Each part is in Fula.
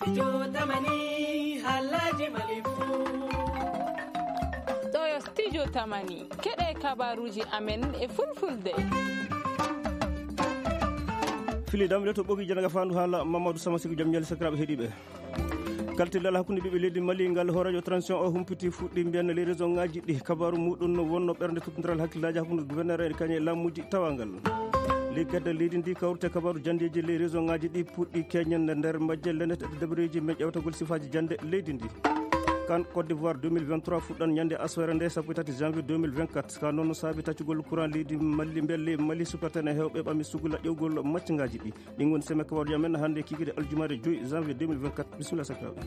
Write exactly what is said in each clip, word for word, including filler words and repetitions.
Studio Tamani, haalaaji Mali fuu. Ɗo yo Studio Tamani, keɗe kabaruuji amen e fulfulde. Fili damle to ɓogi janaga fandu haala Mamadou Sama Sigo jam ñaali sakiraaɓe heɗiiɓe. Kaltidal hakkunde ɓiɓɓe leydi Mali ngal hooreejo transition o humpiti fuɗɗi mbiyan les région ngaji ɗi kabaru muɗum no wonno ɓernde tutodiral hakkillaaji hakkunde gouverneur en kañe laamuji tawangal. Liggorde leydi ndi kawrite kabaru jandeji les région ngaji ɗi puɗɗi keñande nder majje lenete dabareji men ƴewtagol sifaji jande leydi ndi. Kan Côte d'Ivoire deux mille vingt-trois fuɗɗan ñande aswere nde sappo e tati janvier deux mille vingt-quatre. Ka noon saabi taccugol courant leydi Mali mbelle Mali supporter e hewɓe ɓami sugula ƴewgol maccingaji ɗi. Ɗin woni semaine kabaruji amen hannde kikiri aljumaare joyi janvier deux mille vingt-quatre. Bisimilla sakiraaɓe.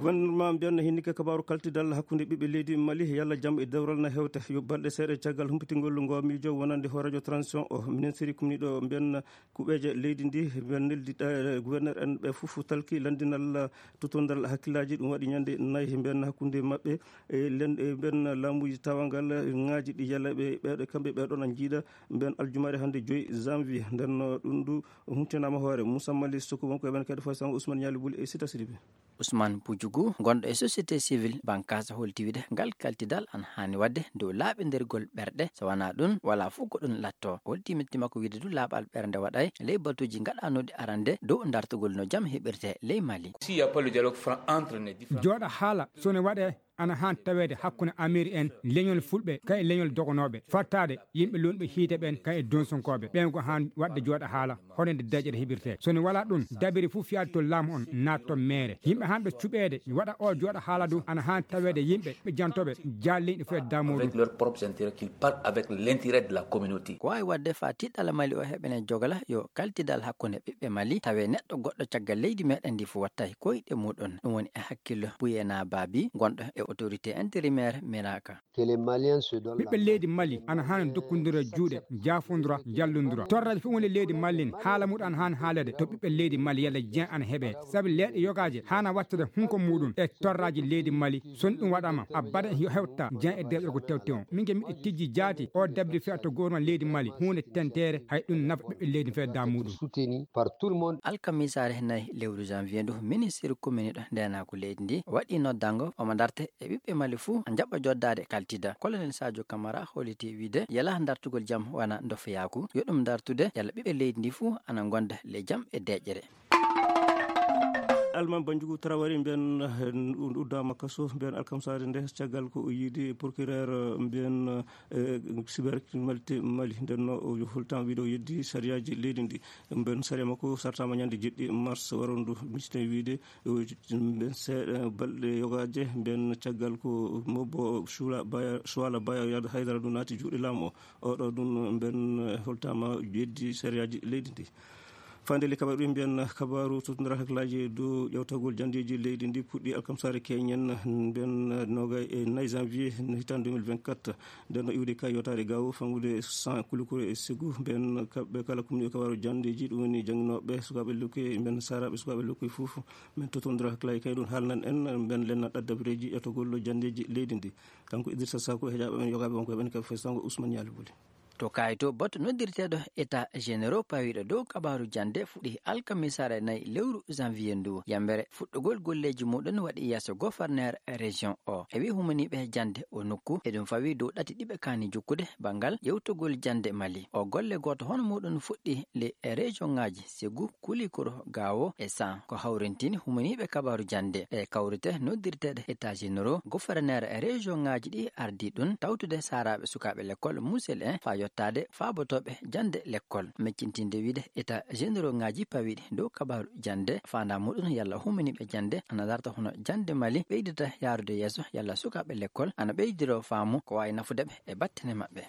Gouvernement mbiyan no hinni ka kabaru kaltidal hakkunde ɓiɓɓe leydi Mali yalla jam e dewral na hewta yo balɗe seeɗa caggal humpitingol ngo miijo wonande hooreejo transition o ministre kumniɗo mbiyan kuɓeeje leydi ndi mbiyan neldi gouverneur en ɓe fof talki landinal tutondal hakkillaji ɗum waɗi ñande nayi mbiyan hakkunde maɓɓe e len e mbiyan laamuji tawangal ngaji ɗi yalla ɓe ɓeɗo kamɓe ɓeɗon a jiiɗa mbiyan aljumaare hannde joyi janvier nden no ɗum ndu. Huntinama hoore Moussa Mali Soko wonko e men kadi foy sango Ousmane Ñaali Buli e Sita Sidibe. Ousmane Pujugu, gonɗo e société civile, bankasa holti wiide ngal kaltidal an haani waɗde dow laaɓindirgol ɓerɗe, so wonaa ɗum, wala fof ko ɗum latto. Holti metti makko wiide du laaɓal ɓernde waɗay ley batuuji gaɗanooɗi arande dow dartugol no jam heɓirte ley Mali. S'il y a pas le dialogue franc entre les différents Jooɗa haala, so ne waɗe, ana haan taweede hakkunde Ameeri en, leñol Fulɓe, kay leñol dogonooɓe, fattaade yimɓe lunɓe hiite ɓen, kay e donsonkooɓe. Ɓen ko haan waɗde jooɗa haala, hono nde deƴƴere heɓirtee. So ne walaa ɗum, dabiri fof fiyaade to laamu on, naat to meere. Yimɓe haanɓe cuɓeede, waɗa o jooɗa haala du, ana haan taweede yimɓe ɓe jantooɓe, jaalliiɓe fof e damuudu. Avec leurs propres intérêts, qu'ils parlent avec l'intérêt de la communauté. Ko waawi waɗde faa tiɗɗala Mali o heɓene jogala yo kaltidal hakkunde ɓiɓɓe Mali, tawe neɗɗo goɗɗo caggal leydi meɗen ndi fof wattay koyɗe muɗum. Ɗum woni e hakkillo Buyena Babi, gonɗo e autorité intérimaire Miraka. Que les Maliens se donnent la Ɓiɓɓe leydi Mali ana haani dokkondira juuɗe, jaafondira, jallondira. Torraji fof woni leydi Mali ni, haala muɗum ana haani haalede to ɓiɓɓe leydi Mali yalla jen ana heɓe. Sabi leeɗe yogaaje haana wattude hunko muɗum e torraji leydi Mali. So ɗum waɗama, a baɗa yo hewta jen e deeƴo ko tewte on. Min ke miɗo tijji jaati, o dabri fiya to gouvernement leydi Mali, huunde tentere, hay ɗum nafa ɓiɓɓe leydi fedda muɗum. Soutenu par tout le monde. Alkamisaare nayi lewru janvier ndu, ministre commune ɗo ndenaako leydi ndi waɗi noddango omo darte e ɓiɓɓe Mali fuu njaɓa joddaade kaltida. Colonel Sadio Camara holliti wiide yala dartugol jam wana ndofeyaaku, yo ɗum dartude yala ɓiɓɓe leydi ndi fuu ana ngonda le jam e deƴƴere. Alman Banjugu Traoré mbiyan, eh, uddama kaso mbiyan alkamsaare nde caggal ko o yiidi procureur, eh, mbiyan, eh, cybercriminalité Mali. Nden no o hultan wiide o yeddi sariyaji leydi ndi. Mbiyan sariya makko sartama ñande jeɗɗi mars warondu. Mistine wiide, eh, mbiyan seeɗa balɗe yogaje mbiyan caggal ko mobbo Shuala Baya, Shuala Baya Haydara ɗum naati juuɗe laamu o. Oɗo ɗum mbiyan, eh, hultama yeddi sariyaji leydi ndi. Fande le kabaru ɗum mbiyan kabaru sotodira hakkillaaji dow ƴewtagol jandeji leydi ndi puɗɗi alkamsaare keñen mbiyan nogay e nayi janvier hitande deux mille vingt-quatre. Nden no iwde ka yotaade gawo fangude cent kulikure e sigu mbiyan kamɓe kala kumni kabaru jandeji ɗum woni jannginooɓe sukaaɓe lekkoy mbiyan saraaɓe sukaaɓe lekkoy fof. Min totondira hakkillaaji kay ɗum haalnan en mbiyan lenna ɗaddabireji ƴewtagol jandeji leydi ndi. Kanko Idrissa Sako e heƴaaɓe men yogaaɓe wonko e ɓen kaɓe fay sango Ousmane Ñaali Buli. To Kayto, bato noddirteeɗo état généraux pawiiɗo dow kabaaru jannde fuɗɗi alkamisaare nayi lewru janvier ndu. Yambere fuɗɗugol golleeji muɗum waɗi yeeso gouverneur région o. E wi humaniiɓe jannde o nokku, eɗum fawi dow ɗati ɗiɓe kaani jokkude banngal ƴewtugol jannde Mali. O golle gooto hono muɗum fuɗɗi le région ŋaaji Ségou, Koulikoro, Gao e San. Ko hawrintini humaniiɓe kabaaru jannde e kawrite noddirteeɗe état généraux, gouverneur région ŋaaji ɗi ardii ɗum tawtude saaraaɓe sukaaɓe lekkol musel en faa yottaade faabotooɓe jannde lekkol. Meccintinde wiide état généraux ŋaaji pawiiɗi dow kabaaru jannde, faandaa muɗum yalla humaniiɓe jannde ana darta hono jannde Mali ɓeydata yaarude yeeso yalla sukaaɓe lekkol ana ɓeydiro faamu ko waawi nafude ɓe e battane maɓɓe.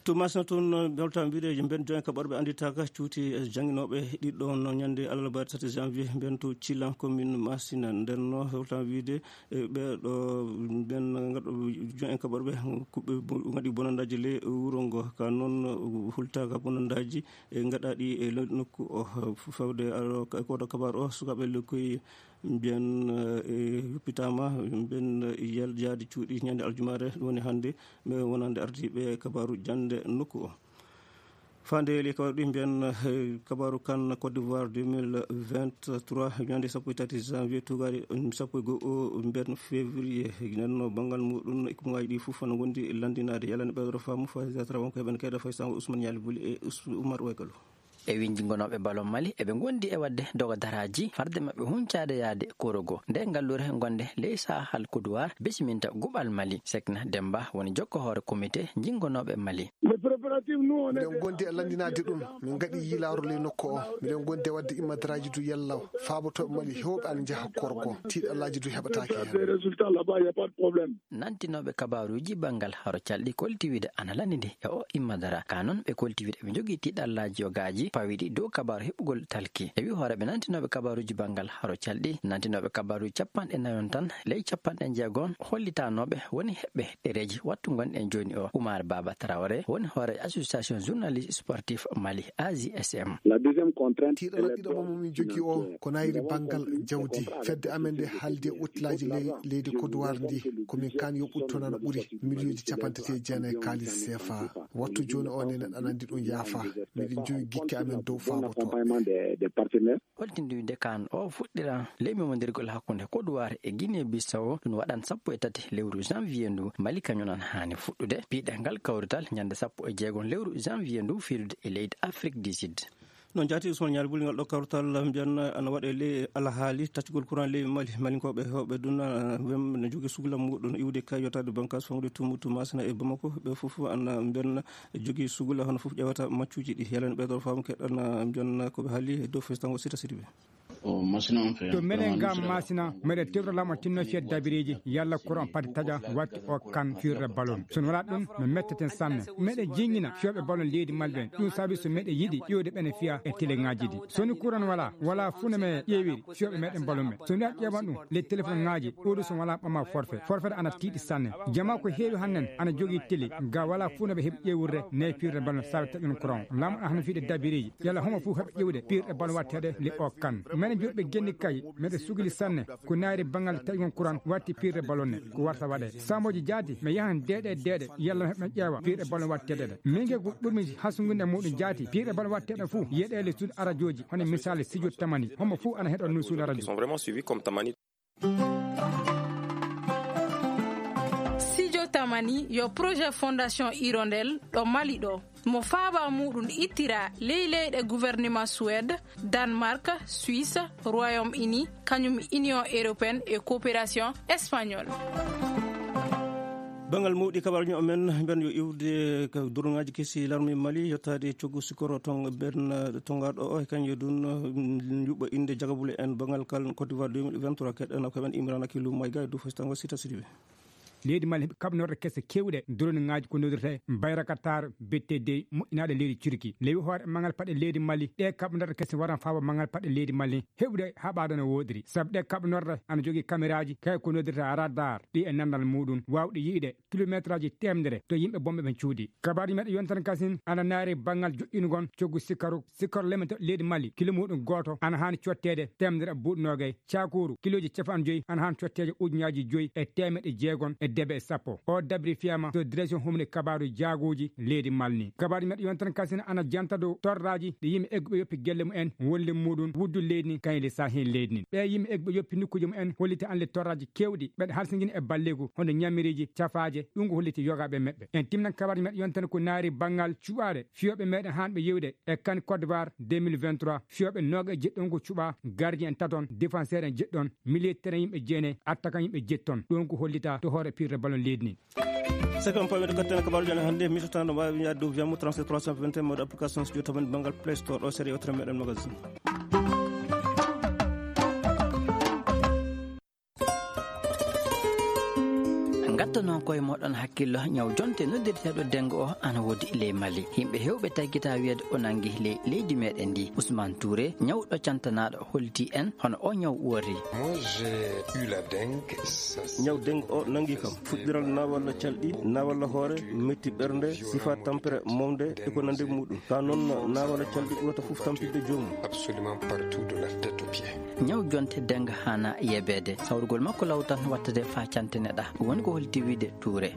To Masina toon, no mbelta mbiɗe mben joen kaɓorɓe annditaaka cuuti e jannginooɓe ɗiɗɗo no ñannde alarba tati janvier mben to Cilan commune Masina. Nden no hewtan wiide e ɓeeɗo mben ngaɗo joen kaɓorɓe kuɓɓe ngaɗi bonandaaji le wuro ngo. Ka noon hultaaka bonandaaji e ngaɗaaɗi e nokku o fawde koto kabar o sukaaɓe lekkoy mbiyan, eh, yuppitaama, mbiyan, eh, yal-, yaade cuuɗi ñande aljumaare, ɗum woni hannde, mais wonande ardiiɓe kabaaru jannde nokku o. Faandeeli e kawri ɗi mbiyan, eh, kabaaru kan Côte d'Ivoire deux mille vingt-trois, ñande sappo e tati janvier, tugaari sappo e go'o mbiyan février. Nenno banngal muɗum, ikkumaaji ɗi fof no ngondi lanndinaade. Yalani ɓeydo faamu, Faiza Traoré, ko heɓen kayda fay sango Ousmane Ñaali Buli e Us-, Oumar Waykalo. E winjingonooɓe ballon Mali, eɓe ngondi e waɗde dogo daraaji, farde maɓɓe huncaade yaade korogo. Nde ngallure gonde ley Sahal Kodowar bisiminta guɓal Mali. Sekna Demba woni jokko hoore komite jingonooɓe Mali. Miɗen gondi e lanndinaade ɗum. Min ngaɗi yiilaaru ley nokku o. Miɗen gondi e waɗde immadaraaji du yalla. Faabotooɓe Mali heewɓe ana njaha korgo. Tiiɗallaaji du heɓataake heen. Nantinooɓe kabaaruuji banngal haro calɗi kolti wiide ana lanndidi e o immadara. Ka noon ɓe kolti wiide ɓe njogii tiiɗallaaji yogaaji pawiɗi dow kabaaru heɓugol talki. E wi hooreeɓe nantinooɓe kabaaruuji banngal haro calɗi, nantinooɓe kabaaruuji capanɗe nayon tan ley capanɗe jeegon hollitanooɓe woni heɓɓe ɗereeji wattu ngonɗen jooni o. Oumar Baba Traoré woni hoore association journaliste sportif Mali, A J S M. Tiiɗalla ɗiɗaɓo mo min jogii o ko nayri banngal jawdi. Fedde amen nde haaldi e ottilaaji ley-, leydi Kodowar ndi, ko min kaan yo ɓuttu toon ana ɓuri miliyonji capanɗe tati e jeenayi kaalis C F A. Wattu jooni o nene aɗa anndi ɗum yaafa. Miɗen jogi gikke amen dow faabotooɓe. Holtinde wiide kaan o fuɗɗira ley memondirgol hakkunde Kodowar e Guinée Bissau, ɗum waɗan sappo e tati lewru janvier ndu. Mali kañum nan haani fuɗɗude piɗe ngal kawrital ñande sappo e jeegon lewru janvier ndu fiirude e leydi Afrique du Sud. Noon jaati Ousmane Ñaari Buli ngal ɗo kawrital mbiyan ana waɗe ley alhaali taccugol courant ley Mali. Malinkooɓe heewɓe dun, ah, wem no jogii sugla muɗum iwde kay yottaade bankas fongude tumutu masina e Bamako. Ɓe fof ana mbiyan jogii sugla hono fof ƴewata maccuuji ɗi. Yalani ɓeydo faamu keɗɗan mbiyan ko ɓe haali e dow festango Sita Sidibe. To menen ngam masina, meɗen tewta laamu tinno fiyat dabireeji, yalla courant pati taƴa, watti o kan firre ballon. So wala ɗum, mi metteten sanne. Meɗen jingina fiyooɓe ballon leydi Mali ɓen. Ɗum sabi so meɗen yiɗi ƴeewde ɓene fiya e teleŋaaji ɗi. So ni courant wala, wala fuu no me ƴeewiri fiyooɓe meɗen ballon ɓe. So ni a ƴeewan ɗum, les téléphone ŋaaji, ɗo ɗo so wala ɓama forfait. Forfait ana tiiɗi sanne. Jama ko heewi hannen, ana jogii télé, ga wala fuu no ɓe heɓi ƴeewirde ne firre ballon sabi taƴon courant. Laamu ana hano fiide dabireeji. Yalla homo fof heɓa ƴeewde piirɗe ballon watteeɗe le o kan. Menen joɗɓe genni kay, meɗe sugli sanne, ko naari banngal taƴgol courant watti piirɗe ballon ne, ko warta waɗe. Sambooji jaati, mi yahan deeɗe deeɗe, yalla mi heɓa ƴeewa piirɗe ballon watteeɗe ɗe. Min ke ko ɓurmi hasungunde muɗum jaati, piirɗe ballon watteeɗe fof, yeɗeele suudu arajooji, hono misali Sijo Tamani, homo fof ana heɗo no suudu arajo. Sijo Tamani yo projet Fondation Hirondelle ɗo Mali ɗo. Mo faaba muɗum ittira ley leyɗe gouvernement Suède, Danemark, Suisse, Royaume-Uni, kañum Union européenne e coopération espagnole. Banngal mawɗi kabaruji amen, mbiyan yo iwde ka durŋaaji kesi larme Mali, yottaade coggu sikkoro tong-, ben, tongaaɗo o, e kañum yo ɗum, mm, yuɓɓo innde jagabule en banngal kal Côte d'Ivoire deux mille vingt-trois, keɗɗen ko men Imran Akilou Maïga e dow festango Sita Sidibe. Leydi Mali heɓi kaɓnorɗe kese kewɗe, durŋaaji ko noddirte Bayraktar B T D moƴƴinaaɗe leydi Turki. Lewi hoore manngal paɗe leydi Mali, ɗe kaɓnorɗe kese waran faaba manngal paɗe leydi Mali, heɓude haɓaade no woodiri. Sabu ɗe kaɓnorɗe ana jogii kameraaji, kay ko noddirta radar, ɗi e nanndal muɗum, waawɗi yi'de kilometraaji teemedere to yimɓe bonɓe ɓen cuuɗi. Kabaaji meɗen yontan kasin ana naari banngal joƴƴingol coggu sikkaru, sikkoro lemto leydi Mali, kilo muɗum gooto ana haani cotteede teemedere e buuɗi noogay, cakooru kilooji capanɗe joyi ana haani cotteede ujunnaaji joyi e teemedde jeegom e debe e sappo. O dabri fiyama to direction humni kabaaru jaagooji leydi Mali ni. Kabaaji meɗen yontan kasin ana janta dow torraaji ɗi yimɓe egguɓe yoppi gelle mumen, wonde muɗum wuddu leydi ni, kañum le saahin leydi ni. Ɓe yimɓe egguɓe yoppi nokkuuji mumen holliti an le torraaji kewɗi, ɓeɗe halsingini e balleeku, hono ñamiriiji, cafaaje, ɗum ko holliti yogaaɓe meɓɓe. En timnan kabaaji meɗen yontan ko naari banngal cuɓaaɗe fiyooɓe meɗen haanɓe yewde e kan Côte d'Ivoire deux mille vingt-trois, fiyooɓe nooga e jeɗɗon ko cuɓaa, gardien en taton, défenseur en jeɗɗon, milieu terrain yimɓe jeenayi, attaquant yimɓe jeɗɗon. Ɗum ko hollita to hoore pirre ballon leydi ni. Saka on pawiɗo gatten kabaaruji amen hannde, mi tottano mbaawi yaade dow Viamo trente-sept trois cent vingt et un, mode application studio taman banngal Play Store ɗo, sere yewtere meɗen magazine. Ngattanoo koye moɗon hakkillo, ñaw jonte noddirteeɗo dengo o ana woodi ley Mali. Yimɓe heewɓe taggita wiyeede o nangi ley leydi meɗen ndi. Ousmane Touré, ñawɗo cantanaaɗo, holti en hono o ñaw woori. Moi, j'ai eu la dengue, ça, c'est... Ñaw dengue o nangi kam. Fuɗɗiral na walla calɗi, na walla hoore, metti ɓernde, sifa tampere, momde, e ko nande muɗum. Ka noon na walla calɗi ɓurata fof tampinde joomum. Absolument partout de la tête aux pieds. Ñaw jonte dengue hana yebeede. Sawrugol makko law tan wattade faa cante neɗa. Ɗum woni ko holti Wide tuure.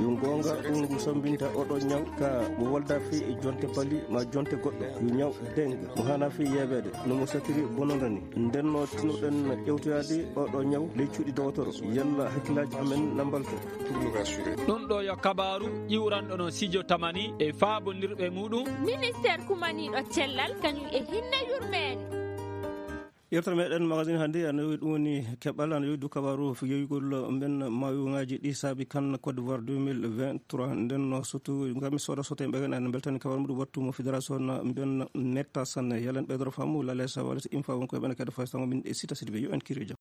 Yo goonga ɗum ngu sammbinta oɗo ñaw ka mo wolda fii e jonte bali ma jonte goɗɗo. Yo ñaw dengue mo hana fii yeeɓeede no mo satiri bononda ni. Nden no tinoɗen ƴewtoyaade oɗo ñaw ley cuuɗi dowotoro. Yalla hakkillaaji amen na mbalto. Ɗum ɗo yo kabaaru ƴiwranɗo no Sijo Tamani e faabondirɓe muɗum. Ministeer kumaniiɗo cellal kañum e hinne yurmeende. Yewtere meɗen magazine hannde ana yowi ɗum woni keɓal ana yowi du kabaru yoyugol mben mawuŋaaji ɗi saabi kan Côte d'Ivoire deux mille vingt-trois. Nden no sotu ngam soda soto en ɓegen ana beltani kabaru muɗum wattu mo fédération na mben netta sanne yalen ɓeydoro famu lale sa walata infa won koye ɓene kadi faysango min e sita sidi ɓe yo en kiri jam.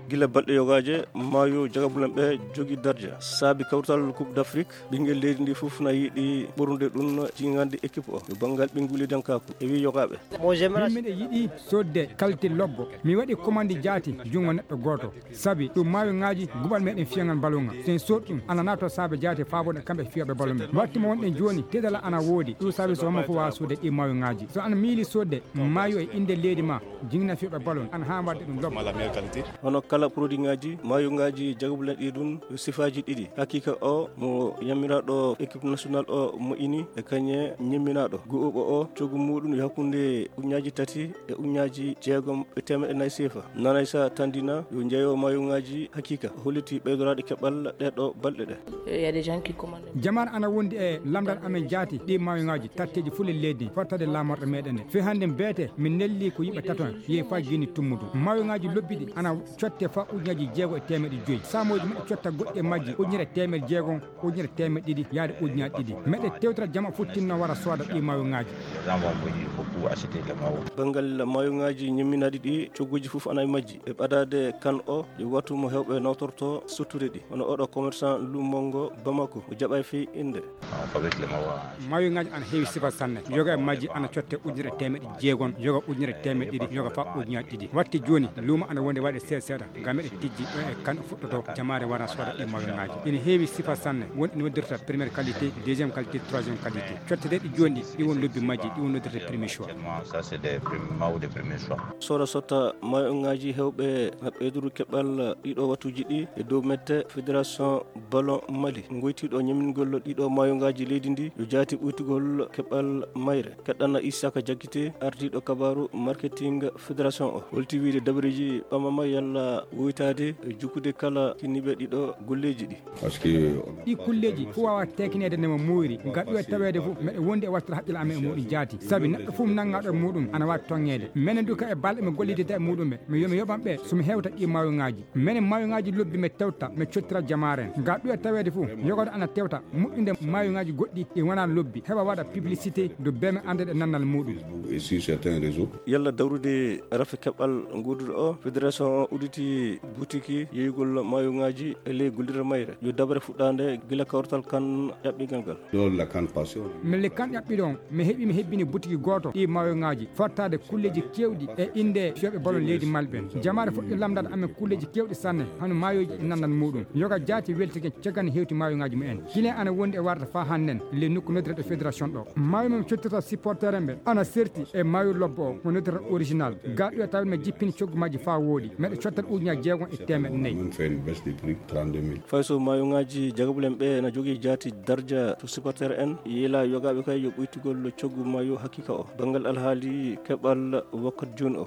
Gila balɗe yogaaje, maayo jagabulen ɓe jogi darja. Saabi kawtal Coupe d'Afrique, ɓinngel leydi ndi fof na yiɗi ɓornude ɗum jingande équipe o. Yo banngal ɓinnguli dankaaku, e wi yogaaɓe. Min miɗo yiɗi sodde kalite lobbo. Mi waɗi commande jaati junngo neɗɗo gooto. Sabi ɗum maayo ŋaaji gubal meɗen fiyaŋal balon ŋal. So en sood ɗum, ana nato saabe jaati faabode kamɓe fiyooɓe balon ɓe. Watti mo wonɗen jooni, teddala ana woodi. Ɗum saabi so hommo fof waawa sodde ɗi maayo ŋaaji. So ana miili sodde maayo e innde leydi ma, jingna fiyooɓe balon, ana haa wadde ɗum lobbo. Hono kala produit ŋaaji, maayo ŋaaji jagabulen ɗi ɗum, sifaaji ɗiɗi. Hakiika o mo ñammiraaɗo équipe nationale o mo ini e kañe ñamminaaɗo. Gu'uɓo o, coggu muɗum yo hakkunde uñaaji tati e uñaaji jeegom e teemeɗɗe nayi seefa. Nanaysa Tandina yo jeeyo maayo ŋaaji hakiika. O holliti ɓeydoraaɗe keɓal ɗeɗo balɗe ɗe. Il y a des gens qui commandent. Jamaare ana wondi e lamndal amen jaati ɗi maayo ŋaaji tatteeji fof le leydi fottade laamorɗo meɗen nde. Fii hannde beete min nelli ko yimɓe tato yehi faa gini tummudu. Maayo ŋaaji lobbi ɗi ana cotte faa ujunnaaji jeego e teemeɗɗe joyi. Saamooji meɗe cotta goɗɗi e majji ujunere teemeɗɗe jeego, ujunere teemeɗɗe ɗiɗi yaade ujunnaaji ɗiɗi. Meɗe tewtira jama fof tinno wara sooda ɗi maayo ŋaaji. Banngal maayo ŋaaji ñamminaaɗi ɗi, cogguuji fof ana e majji. E ɓadaade kan o, yo wattu mo heewɓe nawtorto sottude ɗi. Hono oɗo commerçant lumongo Bamako, o jaɓay fii innde. Maayo ŋaaji ana heewi sifa sanne. Yoga e majji ana cotte ujunere teemeɗɗe jeegom, yoga ujunere teemeɗɗe ɗiɗi, yoga faa ujunnaaji ɗiɗi. Watti jooni, luumo ana wondi waɗe seeɗa seeɗa. Ngam meɗe tijji ɗo e kan fuɗɗoto jamaare wara sooda ɗi maayo ŋaaji. Ina heewi sifa sanne, won ina noddirta première qualité, deuxième qualité, troisième qualité. Cotte ɗe ɗi jooni ɗi, ɗi won lobbi majji, ɗi won noddirta premier choix. Sooda sotta maayo ŋaaji heewɓe na ɓeyduru keɓal ɗiɗo wattuuji ɗi e dow mette fédération ballon Mali. Ngoytiiɗo ñamingol ɗiɗo maayo ŋaaji leydi ndi yo jaati ɓuytugol keɓal mayre. Keɗɗana Isaka Jakite, ardiiɗo kabaaru marketing fédération o. Holti wiide dabareeji ɓamama yalla woytaade e jukkude kala kinniiɓe ɗiɗo golleeji ɗi. Ɗi kulleeji fof waawa tekineede nde mo muuyri, ngal ɗo e taweede fof, meɗe wondi e wartata haqqille amen e muɗum jaati. Sabi neɗɗo fof nanngaɗo e muɗum ana waawi toŋŋeede. Menen du ka e balɗe mi gollidida e muɗum ɓe, mi yo mi yoɓan ɓe so mi hewta ɗi maayo ŋaaji. Menen maayo ŋaaji lobbi mi tewta, mi cottira jamaare en. Ngal ɗo e taweede fof, yogorde ana tewta, moƴƴude maayo ŋaaji goɗɗi ɗi wonaa lobbi, heɓa waɗa publicité do beme annde ɗe nannal muɗum. Et sur certains réseaux. Yalla dawrude rafi keɓal nguuduɗo o, fédération o udditi butiki yeeyugol maayo ŋaaji e ley gullirde mayre. Yo dabare fuɗɗaande gila kawtal kan ƴaɓɓingal ngal. Lors de la canne passée, on a Melle kan ƴaɓɓiɗon, mi heɓi mi hebbini butiki gooto ɗi maayo ŋaaji, fottaade kulleeji keewɗi e innde fiyooɓe balon leydi Mali ɓen. Jamaare fuɗɗi lamndade amen kulleeji keewɗi sanne, hano maayoji e nannal muɗum. Yoga jaati weltike caggal hewti maayo ŋaaji mumen. Client ana wondi e warata faa hannden, le nokku noddirta fédération ɗo. Maayo mum cottirta supporter en ɓe, ana serti e maayo lobbo o, mo noddirta original. Ga ɗo e tawde mi jippini coggu majji faa wooɗi. Meɗe cottal ujunnaaji jeegom e teemeɗɗe nayi. Même fait une baisse de prix, trente-deux mille. Fay so maayo ŋaaji jagabulen ɓe na jogii jaati darja to supporter en, yiila yogaaɓe kay yo ɓuytugol coggu maayo hakiika o. Banngal alhaali keɓal wakkati jooni o.